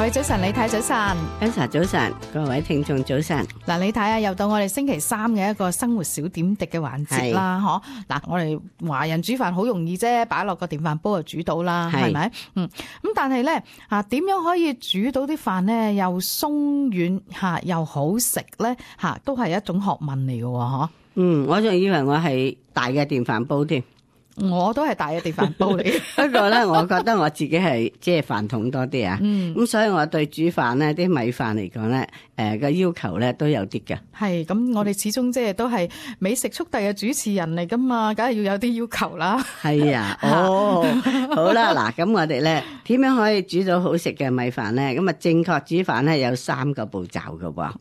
喂，早晨，李太早晨。Elsa 早晨，各位聽眾早晨。嗱，李太啊，又到我哋星期三嘅一個生活小點滴嘅環節啦，嗬。嗱，我哋華人煮飯好容易啫，擺落個電飯煲就煮到啦，係咪？咁但係咧點樣可以煮到啲飯咧又鬆軟又好食咧都係一種學問嚟嘅嗬。我仲以為我係大嘅電飯煲添。我都係大嘅電飯煲嚟，不過咧，我覺得我自己係即係飯桶多啲啊。咁所以我對煮飯咧，啲米飯嚟講咧，個要求咧都有啲嘅。係咁，我哋始終即係都係美食速遞嘅主持人嚟噶嘛，梗係要有啲要求啦。係啊，好啦，嗱，咁我哋咧點樣可以煮到好食嘅米飯咧？咁啊，正確煮飯咧有3個步驟㗎喎。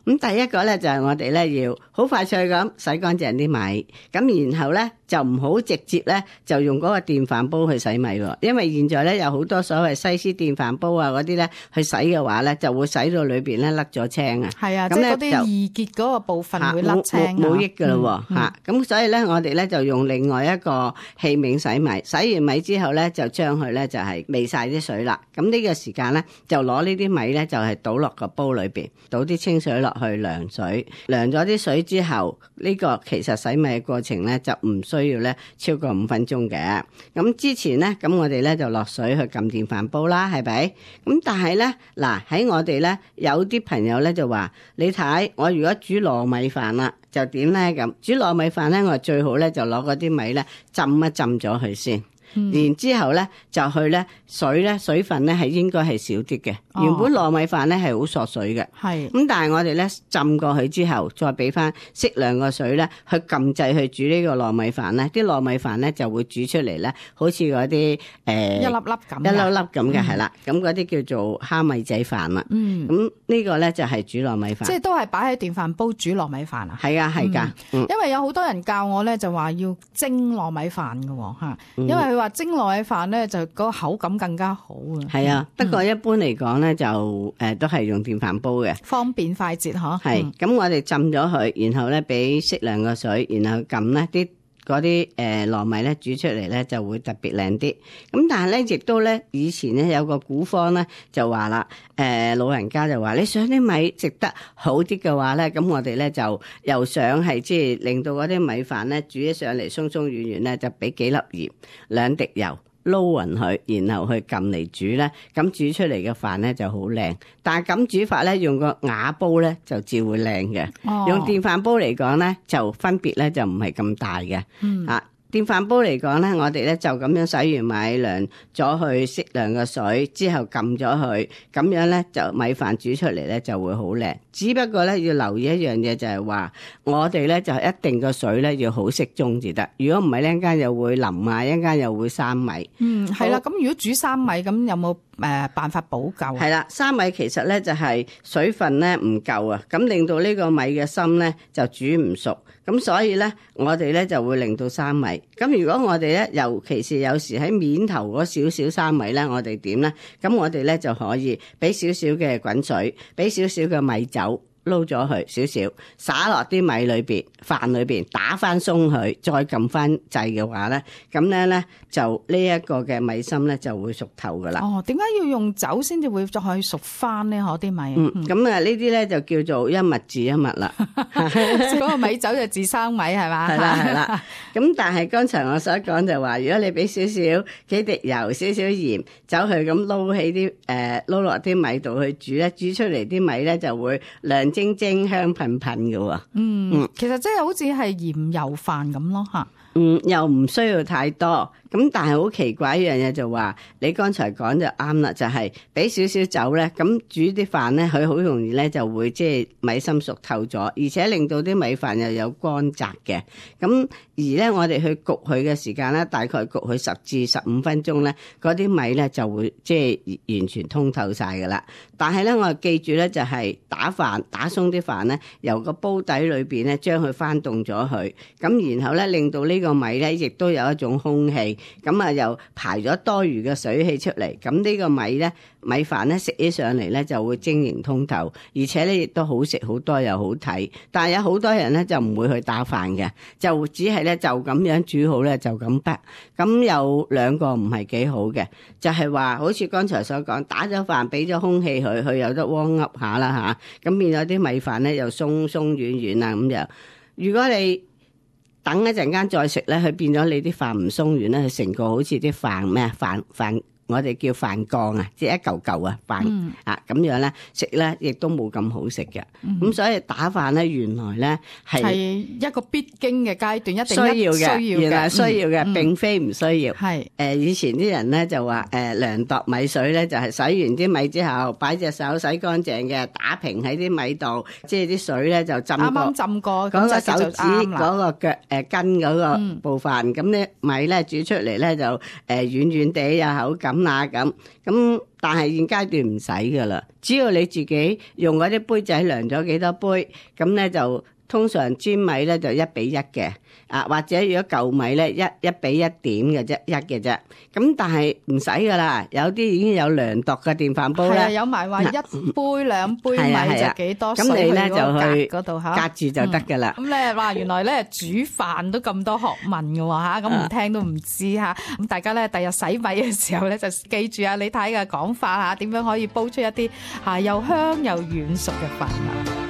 咁第一個咧就係我哋咧要好快脆咁洗乾淨啲米，咁然後咧就唔好直接咧就用嗰個電飯煲去洗米喎，因為現在咧有好多所謂西施電飯煲啊嗰啲咧去洗嘅話咧，就會洗到裏邊咧甩咗青啊。係啊，即係嗰啲易潔嗰個部分會甩青冇益噶咯喎。咁所以咧我哋咧就用另外一個器皿洗米，洗完米之後咧就將佢咧就係煨晒啲水啦。咁呢個時間咧就攞呢啲米咧就係倒落個煲裏邊，倒啲清水落去涼水，涼咗啲水之後，呢個其實洗米嘅過程咧就唔需要咧超過5分鐘嘅。咁之前咧，咁我哋咧就落水去撳電飯煲啦，係咪？咁但係咧，嗱喺我哋咧有啲朋友咧就話：你睇我如果煮糯米飯啦，就點咧咁？煮糯米飯咧，我最好咧就攞嗰啲米咧浸一浸咗佢先。然之後咧就去咧水分咧係應該係少啲嘅。原本糯米飯咧係好索水嘅，咁但係我哋咧浸過去之後，再俾翻適量個水咧去撳掣去煮呢個糯米飯咧，啲糯米飯咧就會煮出嚟咧，好似嗰啲一粒粒咁嘅，係啦，咁嗰啲叫做蝦米仔飯啦。咁呢個咧就係煮糯米飯，即係都係擺喺電飯煲煮糯米飯啊？係啊，係㗎。因為有好多人教我咧就話要蒸糯米飯㗎嚇，因為佢話蒸糯米飯咧就嗰個口感更加好啊。係啊，不過一般嚟講咧就都係用電飯煲嘅，方便快捷嗬。係咁我哋浸咗佢，然後咧俾適量嘅水，然後撳咧嗰啲糯米咧煮出嚟咧就會特別靚啲。咁但係咧亦都咧以前咧有個古方咧就話啦，老人家就話你想啲米食得好啲嘅話咧，咁我哋咧就又想係即係令到嗰啲米飯咧煮起上嚟鬆鬆軟軟咧，就俾幾粒鹽2滴油。撈勻佢，然後去撳嚟煮咧，咁煮出嚟嘅飯咧就好靚。但係咁煮法咧，用個瓦煲咧就照會靚嘅。用電飯煲嚟講咧，就分別咧就唔係咁大嘅。電飯煲嚟講咧，我哋咧就咁樣洗完米，涼咗去適量嘅水之後撳咗佢，咁樣咧就米飯煮出嚟咧就會好靚。只不過咧要留意一樣嘢就係話，我哋咧就一定個水咧要好適中至得。如果唔係咧，一陣間又會腍啊，一陣間又會生米。係啦。咁如果煮生米，咁有冇辦法補救？係啦，生米其實咧就係水分咧唔夠啊，咁令到呢個米嘅心咧就煮唔熟。咁所以咧，我哋咧就會令到生米。咁如果我哋咧，尤其是有時喺面頭嗰少少生米咧，我哋點咧？咁我哋咧就可以俾少少嘅滾水，俾少少嘅米酒。撈咗佢少少，灑落啲米裏邊、飯裏邊，打翻鬆佢，再撳翻掣嘅話咧，咁咧就呢一個嘅米心咧就會熟透噶啦。點解要用酒先至會再熟翻呢？啲米。咁啊呢啲咧就叫做一物治一物啦。嗰個米酒就治生米係嘛？係啦。咁但係剛才我所講就話，如果你俾少少幾滴油、少少鹽，走去咁撈起啲撈落啲米度去煮咧，煮出嚟啲米咧就會亮晶晶香噴噴嘅喎。其實即係好似係鹽油飯咁咯嚇。又唔需要太多。咁但係好奇怪一樣嘢就話，你剛才講就啱啦，就係俾少少酒咧，咁煮啲飯咧，佢好容易咧就會即係米心熟透咗，而且令到啲米飯又有乾澤嘅。咁而咧我哋去焗佢嘅時間咧，大概焗佢10至15分鐘咧，嗰啲米咧就會即係完全通透晒噶啦。但係咧我記住咧就係打飯打打鬆啲飯咧，由個煲底裏邊咧將佢翻凍咗佢，咁然後咧令到呢個米咧亦都有一種空氣，咁啊又排咗多餘嘅水氣出嚟，咁呢個米飯咧食起上嚟咧就會晶瑩通透，而且咧亦都好食好多又好睇。但係有好多人咧就唔會去打飯嘅，就只係咧就咁樣煮好咧就咁得。咁有兩個唔係幾好嘅，就係話好似剛才所講，打咗飯俾咗空氣佢有得汪噏下啦嚇，咁變咗啲米飯咧又鬆鬆軟軟啊咁樣。如果你等一陣間再食咧，佢變咗你啲飯唔鬆軟咧，佢成個好似啲飯咩飯。我哋叫飯缸啊，即係一嚿嚿啊飯啊咁樣咧食咧，亦都冇咁好食嘅。咁所以打飯咧，原來咧係一個必經嘅階段，一定需要嘅，原來需要嘅，並非唔需要。係以前啲人咧就話量度米水咧，就係洗完啲米之後，擺隻手洗乾淨嘅，打平喺啲米度，即係啲水咧就浸過，啱啱浸過嗰個手指嗰個腳筋嗰個部分，咁啲米咧煮出嚟咧就軟軟地有口感。咁，但係現階段唔使噶啦，只要你自己用嗰啲杯仔量咗幾多杯，咁咧就通常粘米咧就1:1嘅，或者如果舊米咧1:1嘅啫，1嘅啫。咁但係唔使噶啦，有啲已經有量度嘅電飯煲咧，有埋話1杯2杯米就幾多水，咁你咧就去嗰度隔住就得噶啦。咁咧話原來咧煮飯都咁多學問嘅喎嚇，咁唔聽都唔知嚇。咁大家咧第日洗米嘅時候咧就記住啊李太嘅講法嚇，點樣可以煲出一啲又香又軟熟嘅飯啊！